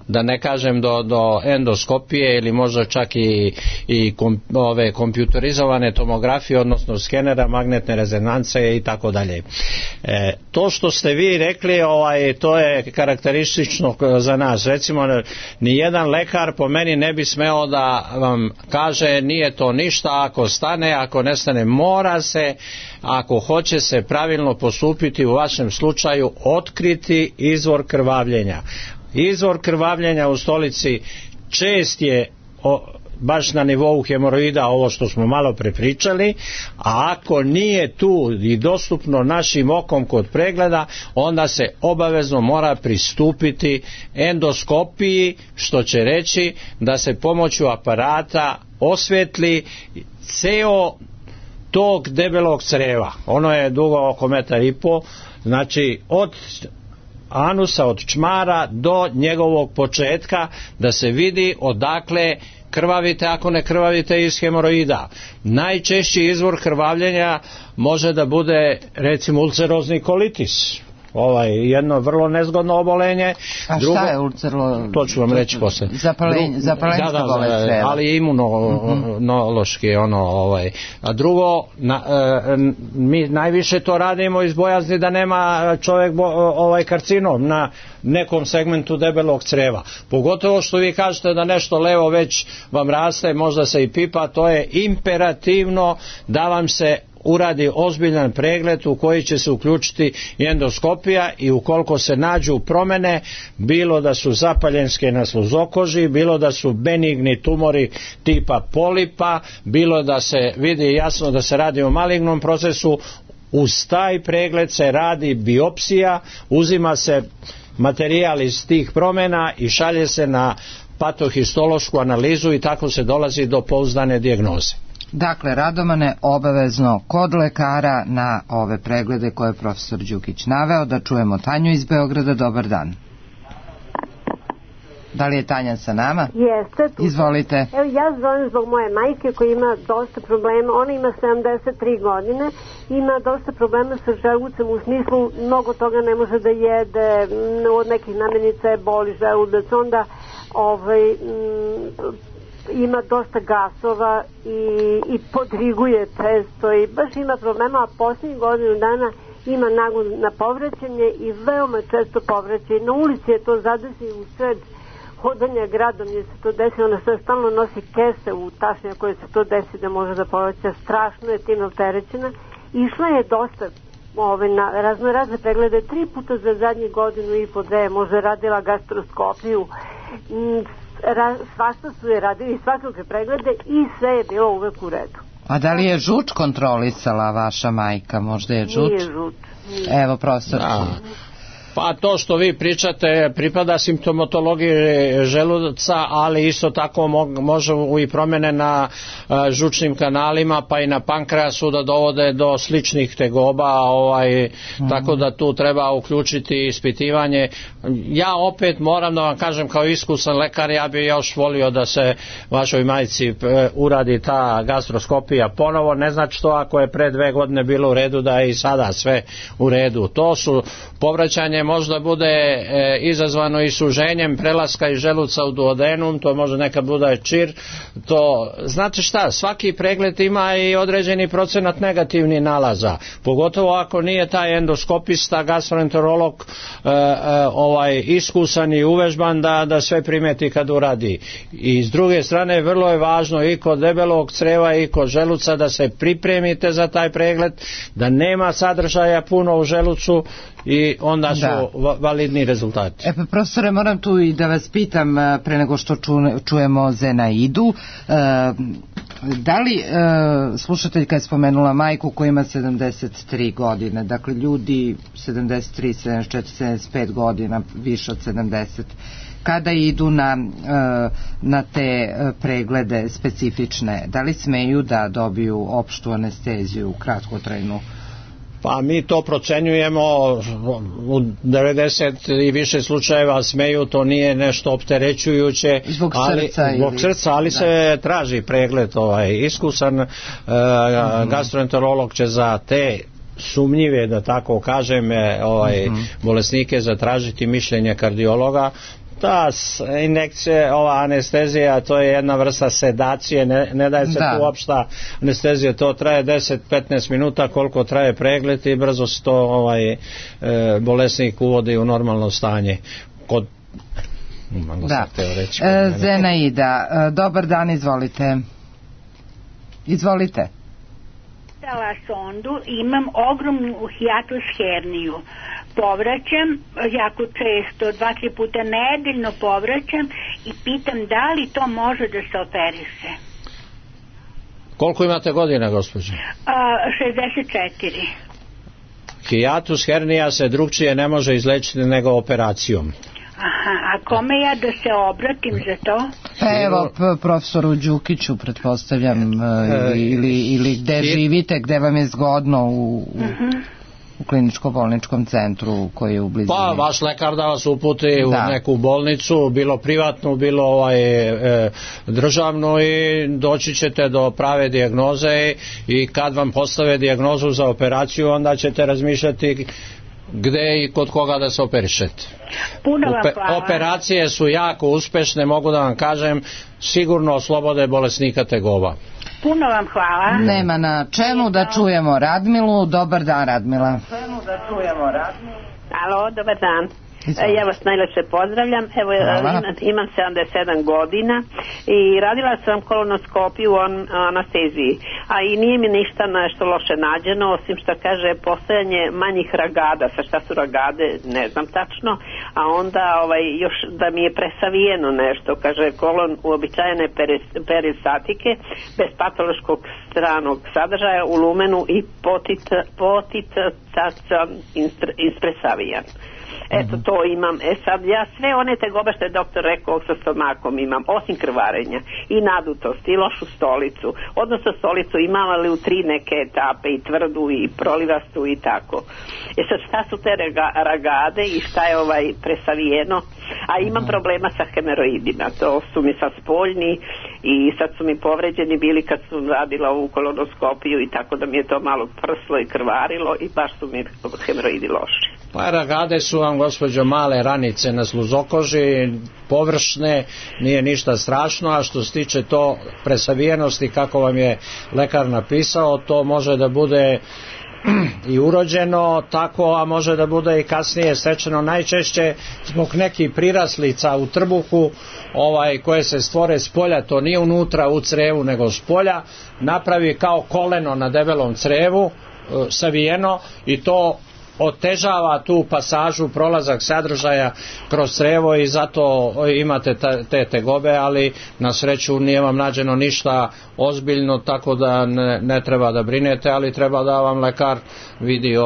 da ne kažem do endoskopije ili možda čak i ove kompjuterizovane tomografije, odnosno skenera, magnetne rezonance i tako dalje. To što ste vi rekli, to je karakteristično za nas. Recimo, nijedan lekar po meni ne bi smeo da vam kaže nije to ništa, ako stane, ako ne stane, mora se, ako hoće se pravilno postupiti u vašem slučaju, otkriti izvor krvavljenja. Izvor krvavljenja u stolici čest je baš na nivou hemoroida, ovo što smo malo prepričali, a ako nije tu i dostupno našim okom kod pregleda, onda se obavezno mora pristupiti endoskopiji, što će reći da se pomoću aparata osvetli ceo tog debelog creva. Ono je dugo oko 1,5 m, znači od anusa, od čmara do njegovog početka, da se vidi odakle krvavite, ako ne krvavite iz hemoroida. Najčešći izvor krvavljenja može da bude recimo ulcerozni kolitis, jedno vrvrlo nezgodno obolenje. A šta je ulcerozni? To ću vam reći posle. Zapalenjska bolest creva. Ali je imunološki A drugo, mi najviše to radimo iz bojazni da nema čovjek karcinom na nekom segmentu debelog creva. Pogotovo što vi kažete da nešto levo već vam raste, možda se i pipa, to je imperativno da vam se uradi ozbiljan pregled u koji će se uključiti endoskopija i ukoliko se nađu promjene, bilo da su zapaljenske na sluzokoži, bilo da su benigni tumori tipa polipa, bilo da se vidi jasno da se radi o malignom procesu, uz taj pregled se radi biopsija, uzima se materijal iz tih promjena i šalje se na patohistološku analizu i tako se dolazi do pouzdane dijagnoze. Dakle, Radomane, obavezno kod lekara na ove preglede koje je profesor Đukić naveo. Da čujemo Tanju iz Beograda. Dobar dan. Da li je Tanja sa nama? Jeste. Izvolite. Evo, ja zovem zbog moje majke koja ima dosta problema. Ona ima 73 godine, ima dosta problema sa želucem, u smislu mnogo toga ne može da jede, od nekih namirnica je boli želudac, onda ima dosta gasova i podriguje često i baš ima problema, a posljednjih godinu dana ima nagon na povraćanje i veoma često povraćanje. Na ulici je to zadesi u sred hodanja gradom je se to desi, ona se stalno nosi kese u tašnje koje se to desi da može da povraća, strašno je tim opterećena. Išla je dosta na razne preglede, 3 puta za zadnjih godinu i po 2, možda radila gastroskopiju, svašta su je radili, svakakve preglede i sve je bilo uvek u redu. A da li je žuč kontrolisala vaša majka? Možda je žuč? Nije žuč. Evo, profesor. Pa to što vi pričate pripada simptomatologiji želuca, ali isto tako može i promjene na žučnim kanalima pa i na pankreasu da dovode do sličnih tegoba, tako da tu treba uključiti ispitivanje. Ja opet moram da vam kažem kao iskusan lekar, ja bi još volio da se vašoj majci uradi ta gastroskopija ponovo, ne znači to ako je pre 2 godine bilo u redu da je i sada sve u redu. To su povraćanje možda bude izazvano i suženjem prelaska iz želuca u duodenum, to može nekad bude čir, to znate šta, svaki pregled ima i određeni procenat negativnih nalaza, pogotovo ako nije taj endoskopista, gastroenterolog iskusan i uvežban da sve primeti kad uradi. I s druge strane vrlo je važno i kod debelog creva i kod želuca da se pripremite za taj pregled, da nema sadržaja puno u želucu i onda su validni rezultati. Pa profesore, moram tu i da vas pitam pre nego što čujemo Zenaidu, da li slušateljka je spomenula majku koja ima 73 godine, dakle ljudi 73, 74, 75 godina, više od 70, kada idu na te preglede specifične, da li smeju da dobiju opštu anesteziju, kratkotrajnu? Pa mi to procenjujemo, u 90 i više slučajeva smeju, to nije nešto opterećujuće, zbog srca, ali se traži pregled, iskusan gastroenterolog će za te sumnjive, da tako kažem, bolesnike zatražiti mišljenje kardiologa. Ta injekcija, ova anestezija, to je jedna vrsta sedacije, ne daje se tu opšta anestezija, to traje 10-15 minuta koliko traje pregled i brzo se to bolesnik uvodi u normalno stanje. Zenaida, dobar dan, izvolite. Izvolite. Dala sondu, imam ogromnu hijatus herniju. Povraćam jako često, 2-3 puta nedeljno povraćam i pitam da li to može da se operiše. Koliko imate godina, gospođo? 64. Hijatus hernija se drugčije ne može izlečiti nego operacijom. Aha, a kome ja da se obratim za to? Pa evo, profesoru Đukiću, pretpostavljam, ili gde živite, gde vam je zgodno u kliničko-bolničkom centru koji je u blizini. Pa vaš lekar da vas uputi u neku bolnicu, bilo privatnu, bilo državnu, i doći ćete do prave dijagnoze i kad vam postave dijagnozu za operaciju, onda ćete razmišljati gde i kod koga da se operišete. Puno vam hvala. Operacije su jako uspešne, mogu da vam kažem, sigurno oslobode bolesnika tegoba. Puno vam hvala. Nema na čemu, da čujemo Radmilu. Dobar dan, Radmila. Alo, dobar dan. Ja vas najlepše pozdravljam. Evo, imam 77 godina i radila sam kolonoskopiju u anesteziji, a i nije mi ništa nešto loše nađeno, osim što kaže postojanje manjih ragada. Sa šta su ragade, ne znam tačno, a onda još da mi je presavijeno nešto, kaže kolon uobičajene peristatike bez patološkog stranog sadržaja u lumenu i potit ispresavijan. Eto, to imam. Sad ja sve one tegobe što je doktor rekao sa stomakom imam, osim krvarenja i nadutost i lošu stolicu, odnosno stolicu imam, ali u 3 neke etape, i tvrdu i prolivastu i tako. Sad šta su te ragade i šta je presavijeno, a imam problema sa hemeroidima, to su mi sad spoljni i sad su mi povređeni bili kad su radila ovu kolonoskopiju i tako da mi je to malo prslo i krvarilo i baš su mi hemeroidi loši. Pa ragade su vam, gospođo, male ranice na sluzokoži, površne, nije ništa strašno, a što se tiče to presavijenosti kako vam je lekar napisao, to može da bude i urođeno tako, a može da bude i kasnije stečeno, najčešće zbog nekih priraslica u trbuhu koje se stvore s polja, to nije unutra u crevu nego s polja, napravi kao koleno na debelom crevu savijeno i to otežava tu pasažu, prolazak sadržaja kroz crevo i zato imate te tegobe, ali na sreću nije vam nađeno ništa ozbiljno, tako da ne treba da brinete, ali treba da vam lekar vidi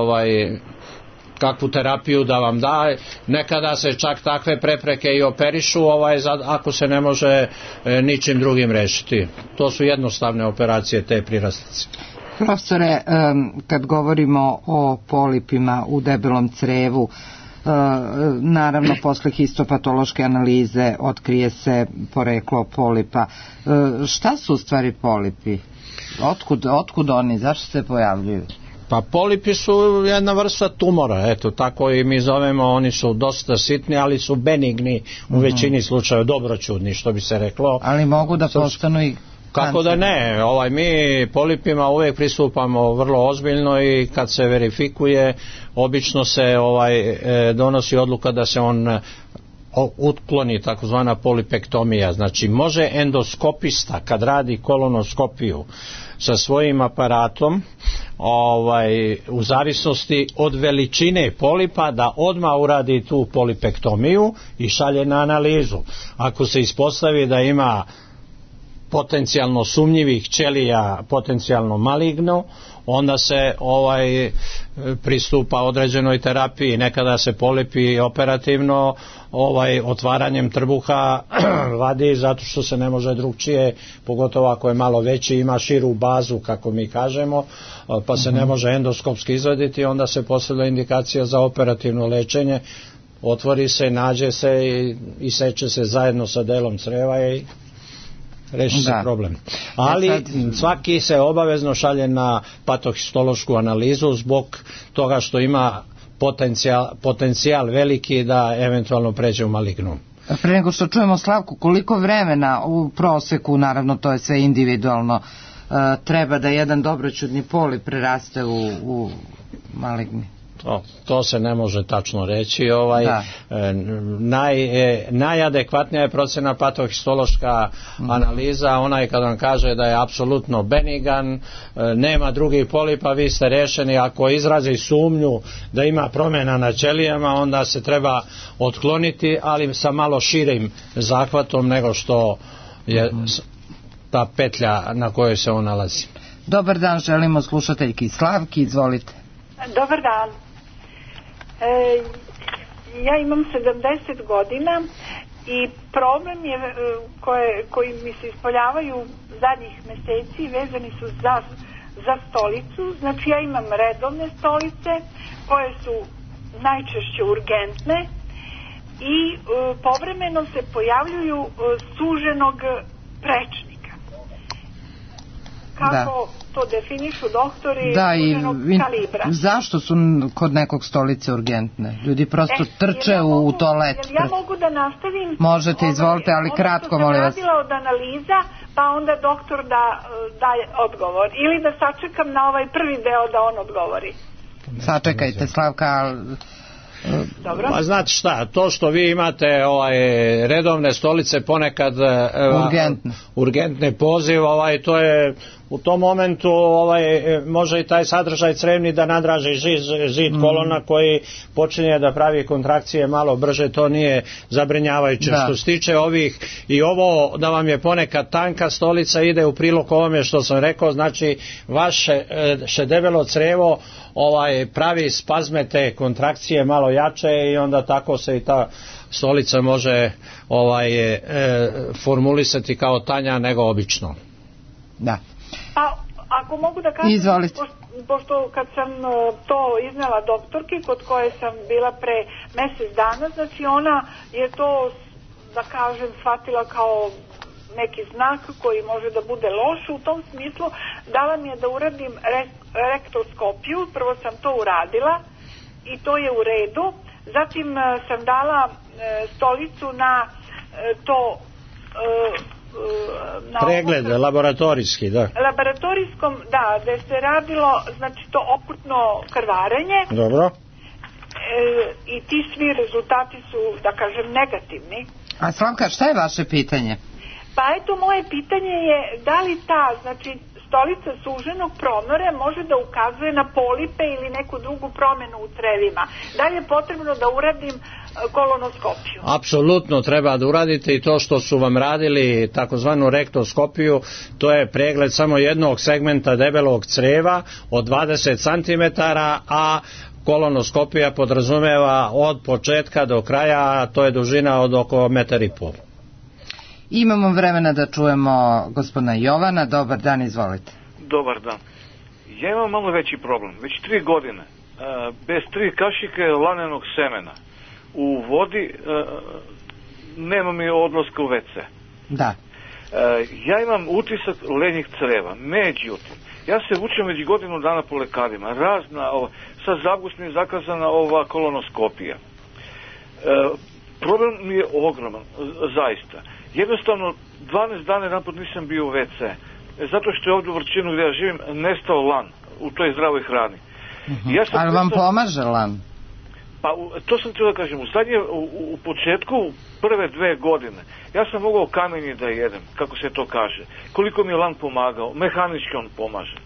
kakvu terapiju da vam da. Nekada se čak takve prepreke i operišu ako se ne može ničim drugim rešiti. To su jednostavne operacije te prirastnice. Profesore, kad govorimo o polipima u debelom crevu, naravno posle histopatološke analize otkrije se poreklo polipa. Šta su u stvari polipi? Otkud oni? Zašto se pojavljuju? Pa polipi su jedna vrsta tumora, eto tako i mi zovemo, oni su dosta sitni, ali su benigni u većini slučajeva, dobroćudni što bi se reklo. Ali mogu da postanu i kako da ne, mi polipima uvijek pristupamo vrlo ozbiljno i kad se verifikuje, obično se donosi odluka da se on utkloni, takozvana polipektomija. Znači može endoskopista kad radi kolonoskopiju sa svojim aparatom u zavisnosti od veličine polipa da odmah uradi tu polipektomiju i šalje na analizu. Ako se ispostavi da ima potencijalno sumnjivih ćelija, potencijalno maligno, onda se pristupa određenoj terapiji. Nekada se polipi operativno otvaranjem trbuha vadi zato što se ne može drugčije, pogotovo ako je malo veći, ima širu bazu kako mi kažemo, pa se ne može endoskopski izvaditi, onda se postavlja indikacija za operativno lečenje, otvori se, nađe se i seče se zajedno sa delom creva i reši se problem. Ali svaki se obavezno šalje na patohistološku analizu zbog toga što ima potencijal veliki da eventualno pređe u malignu. Pre nego što čujemo Slavku, koliko vremena u proseku, naravno to je sve individualno, treba da jedan dobroćudni polip preraste u maligni? To se ne može tačno reći. Najadekvatnija je procena patohistološka analiza, onaj kad vam kaže da je apsolutno benigan, nema drugih polipa, vi ste rešeni. Ako izrazi sumnju da ima promjena na ćelijama, onda se treba otkloniti, ali sa malo širim zahvatom nego što je ta petlja na kojoj se on nalazi. Dobar dan, želimo slušateljki Slavki, izvolite. Dobar dan. Ja imam 70 godina i problem je koji mi se ispoljavaju zadnjih meseci vezani su za stolicu. Znači ja imam redovne stolice koje su najčešće urgentne i povremeno se pojavljuju suženog prečnika. Kako to definišu doktori suženog kalibra? Zašto su kod nekog stolice urgentne? Ljudi prosto trče u toalet. Ja mogu da nastavim? Možete, izvolite, ali kratko, molim vas. Ono što sam radila od analiza, pa onda doktor daje odgovor. Ili da sačekam na ovaj prvi deo da on odgovori. Sačekajte, Slavka. Dobro. Pa znate šta, to što vi imate redovne stolice ponekad urgentne poziv, to je u tom momentu može i taj sadržaj crevni da nadraži zid kolona koji počinje da pravi kontrakcije malo brže, to nije zabrinjavajuće. Što se tiče ovih i ovo da vam je ponekad tanka stolica ide u prilog ovome što sam rekao, znači vaše debelo crevo pravi spazme te kontrakcije malo jače i onda tako se i ta stolica može formulisati kao tanja nego obično. Da. Pa ako mogu da kažem, pošto kad sam to iznela doktorki kod koje sam bila pre mjesec dana, znači ona je to, da kažem, shvatila kao neki znak koji može da bude loš, u tom smislu dala mi je da uradim rektoskopiju, prvo sam to uradila i to je u redu, zatim sam dala stolicu na to pregled laboratorijski, da. Laboratorijskom, da, gde se radilo, znači to okrutno krvarenje. Dobro. I ti svi rezultati su, da kažem, negativni. A Slavka, šta je vaše pitanje? Pa eto, moje pitanje je da li ta, znači, stolica suženog promora može da ukazuje na polipe ili neku drugu promjenu u crevima. Da li je potrebno da uradim kolonoskopiju? Apsolutno treba da uradite i to što su vam radili takozvanu rektoskopiju, to je pregled samo jednog segmenta debelog creva od 20 cm, a kolonoskopija podrazumeva od početka do kraja, a to je dužina od oko 1,5 m. Imamo vremena da čujemo gospodina Jovana. Dobar dan, izvolite. Dobar dan. Ja imam malo veći problem. Već 3 godine bez 3 kašike lanenog semena u vodi nema mi odlaska u WC. Da. Ja imam utisak lenjih creva. Međutim, ja se vučem već godinu dana po lekarima. Sad za avgust mi je zakazana ova kolonoskopija. Problem mi je ogroman, zaista. Jednostavno, 12 dana jedanput nisam bio u WC. Zato što je ovdje u Vrčinu gdje ja živim nestao lan u toj zdravoj hrani. Ali vam pomaže lan? Pa to sam htio da kažem. U početku, prve 2 godine, ja sam mogao kamenje da jedem, kako se to kaže. Koliko mi je lan pomagao, mehanički on pomaže.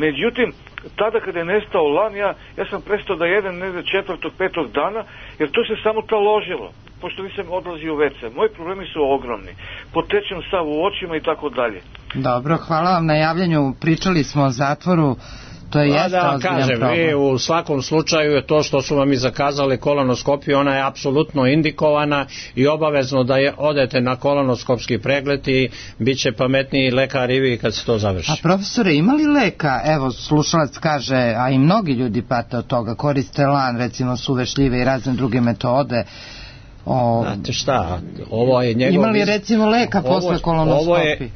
Međutim, tada kada je nestao lan, ja sam prestao da jedem negdje 4., 5. dana, jer to se samo taložilo, pošto nisam odlazio u WC. Moji problemi su ogromni. Potečem sav u očima i tako dalje. Dobro, hvala vam na javljanju. Pričali smo o zatvoru. To je ozbiljan problem. Vi u svakom slučaju je to što su vam i zakazali kolonoskopiju, ona je apsolutno indikovana i obavezno da odete na kolonoskopski pregled i bit će pametniji lekar i vi kad se to završi. A profesore, ima li leka? Evo, slušalac kaže, a i mnogi ljudi pate od toga, koriste lan, recimo suve šljive i razne druge metode. Znate šta, ovo je njegov... Ima li recimo leka posle kolonoskopije?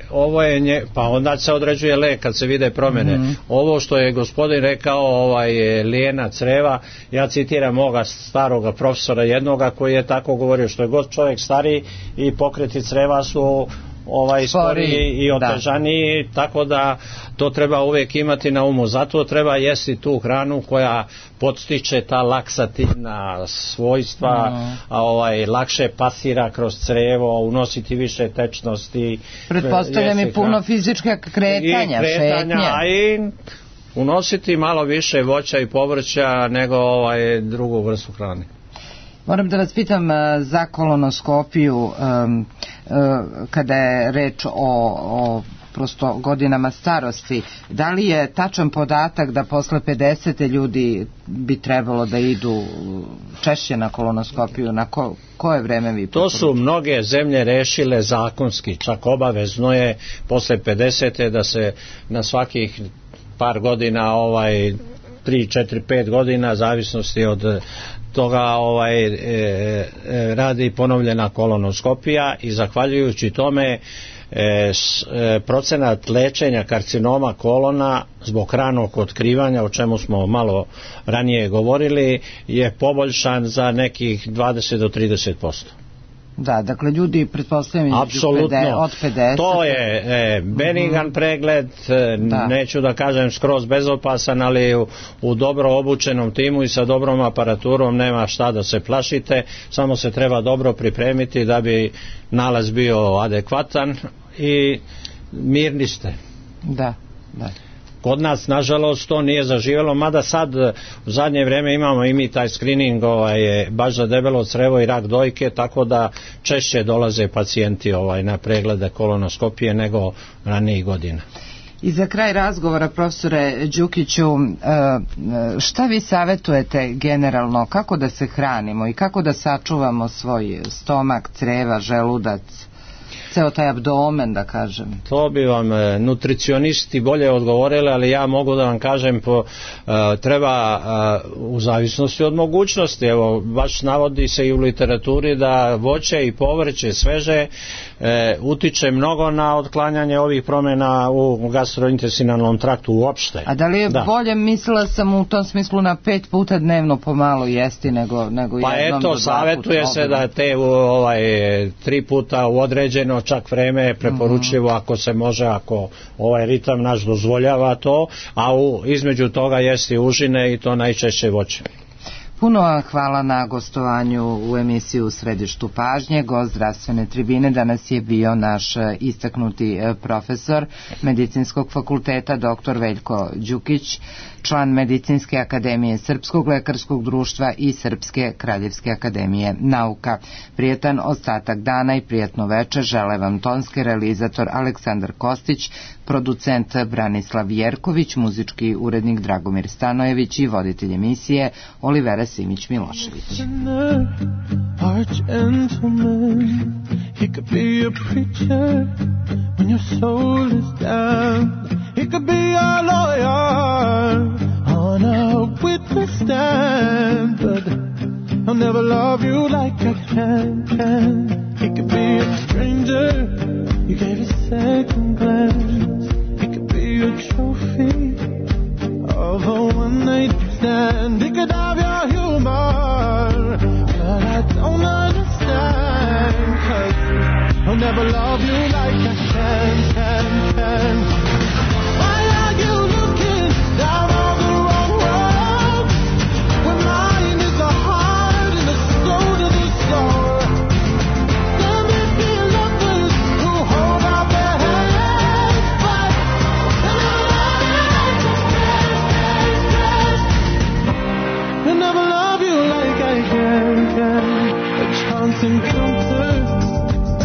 Pa onda se određuje lek kad se vide promjene. Ovo što je gospodin rekao, lijena creva, ja citiram moga staroga profesora jednoga koji je tako govorio, što je god čovjek stariji i pokreti creva su sporiji i otežaniji, tako da to treba uvijek imati na umu. Zato treba jesti tu hranu koja podstiče ta laksativna svojstva, lakše pasira kroz crevo, unositi više tečnosti. Pretpostavljam i puno fizička kretanja, šetnja. I unositi malo više voća i povrća nego drugu vrstu hrane. Moram da vas pitam za kolonoskopiju, kada je reč o prosto godinama starosti, da li je tačan podatak da posle 50. ljudi bi trebalo da idu češće na kolonoskopiju, na koje vreme vi To su mnoge zemlje rešile zakonski, čak obavezno je posle 50. da se na svakih par godina, 3, 4, 5 godina, zavisnosti od toga radi ponovljena kolonoskopija i zahvaljujući tome procenat lečenja karcinoma kolona zbog ranog otkrivanja, o čemu smo malo ranije govorili, je poboljšan za nekih 20 do 30%. Da, dakle ljudi pretpostavljam od 50. To je benigan pregled, neću da kažem skroz bezopasan, ali u dobro obučenom timu i sa dobrom aparaturom nema šta da se plašite, samo se treba dobro pripremiti da bi nalaz bio adekvatan i mirni ste. Da. Kod nas, nažalost, to nije zaživjelo, mada sad u zadnje vrijeme imamo i mi taj screening baš za debelo crevo i rak dojke, tako da češće dolaze pacijenti na preglede kolonoskopije nego ranijih godina. I za kraj razgovora, profesore Đukiću, šta vi savjetujete generalno, kako da se hranimo i kako da sačuvamo svoj stomak, creva, želudac, ceo taj abdomen, da kažem? To bi vam nutricionisti bolje odgovorili, ali ja mogu da vam kažem, treba u zavisnosti od mogućnosti. Evo, baš navodi se i u literaturi da voće i povrće sveže utiče mnogo na otklanjanje ovih promjena u gastrointestinalnom traktu uopšte. A da li je bolje, mislila sam u tom smislu, na 5 puta dnevno pomalo jesti nego jednom do 2 puta? Pa eto, savjetuje se da te 3 puta u određeno čak vreme je preporučljivo, ako se može, ako ritam naš dozvoljava to, a između toga jesti užine i to najčešće voće. Puno hvala na gostovanju u emisiju U središtu pažnje. Gost zdravstvene tribine danas je bio naš istaknuti profesor Medicinskog fakulteta dr. Veljko Đukić, član Medicinske akademije Srpskog lekarskog društva i Srpske kraljevske akademije nauka. Prijetan ostatak dana i prijatno večer žele vam tonski realizator Aleksandar Kostić, producent Branislav Jerković, muzički urednik Dragomir Stanojević i voditelj emisije Olivera Simić-Milošević. On a witness stand, but I'll never love you like I can. He could be a stranger, you gave a second glance. He could be a trophy of a one-night stand. He could have your humor, but I don't understand, 'cause I'll never love you like I can. Why are you looking down on the wrong road when mine is the heart and the soul to the soul? There may be lovers who hold out their hands, but they'll never love you like I can. A chance encounter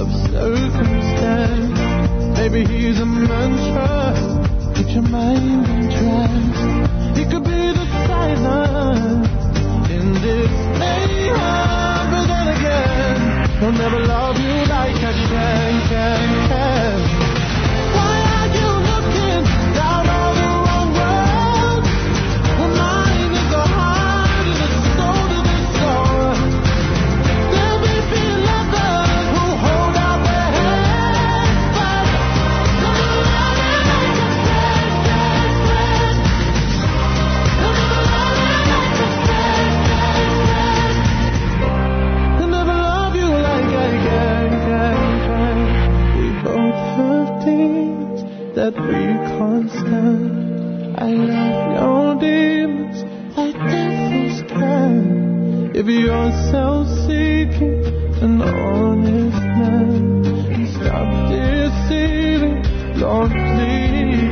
of circumstance. Maybe he's a mantra, put your mind in trance. He could be the silence in this mayhem, but then again, he'll never love you like I can. Why are you looking down on the wrong road when mine is the heart and the soul to the soul? There may be lovers who hold out their hands, but they'll never love you like I can. We both have things that we can't stand. I love your demons like devils can. If you're self-seeking, an honest man, and stop deceiving, Lord, please.